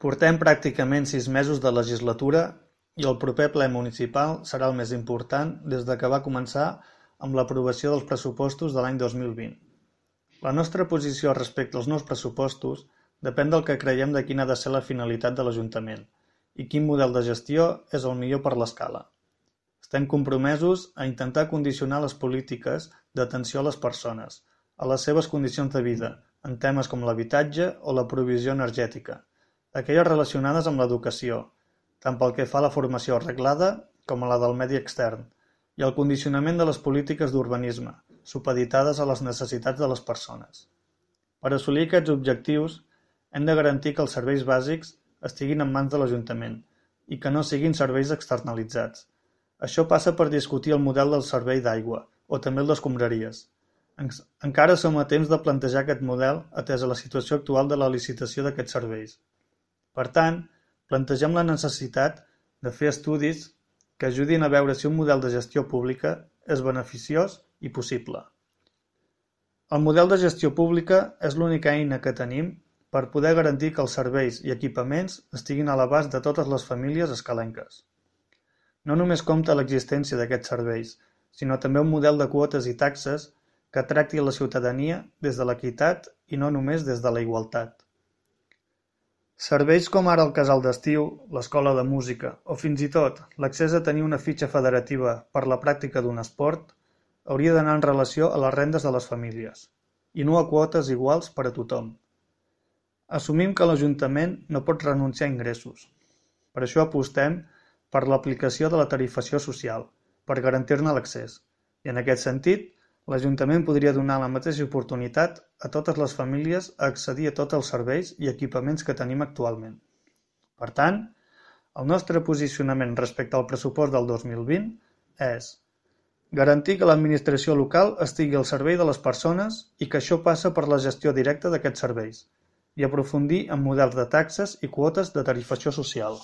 Portem pràcticament 6 mesos de legislatura i el proper ple municipal serà el més important des que va començar amb l'aprovació dels pressupostos de l'any 2020. La nostra posició respecte als nous pressupostos depèn del que creiem de quina ha de ser la finalitat de l'Ajuntament i quin model de gestió és el millor per l'escala. Estem compromesos a intentar condicionar les polítiques d'atenció a les persones, a les seves condicions de vida, en temes com l'habitatge o la provisió energètica, aquelles relacionades amb l'educació, tant pel que fa a la formació reglada com a la del medi extern, i el condicionament de les polítiques d'urbanisme, supeditades a les necessitats de les persones. Per assolir aquests objectius, hem de garantir que els serveis bàsics estiguin en mans de l'Ajuntament i que no siguin serveis externalitzats. Això passa per discutir el model del servei d'aigua o també el d'escombraries. Encara som a temps de plantejar aquest model atès a la situació actual de la licitació d'aquests serveis. Per tant, plantegem la necessitat de fer estudis que ajudin a veure si un model de gestió pública és beneficiós i possible. El model de gestió pública és l'única eina que tenim per poder garantir que els serveis i equipaments estiguin a l'abast de totes les famílies escalenques. No només compta l'existència d'aquests serveis, sinó també un model de quotes i taxes que tracti a la ciutadania des de l'equitat i no només des de la igualtat. Serveis com ara el casal d'estiu, l'escola de música o fins i tot l'accés a tenir una fitxa federativa per la pràctica d'un esport hauria d'anar en relació a les rendes de les famílies i no a quotes iguals per a tothom. Assumim que l'Ajuntament no pot renunciar a ingressos. Per això apostem per l'aplicació de la tarifació social, per garantir-ne l'accés, i en aquest sentit, l'Ajuntament podria donar la mateixa oportunitat a totes les famílies a accedir a tots els serveis i equipaments que tenim actualment. Per tant, el nostre posicionament respecte al pressupost del 2020 és garantir que l'administració local estigui al servei de les persones i que això passa per la gestió directa d'aquests serveis, i aprofundir en models de taxes i quotes de tarifació social.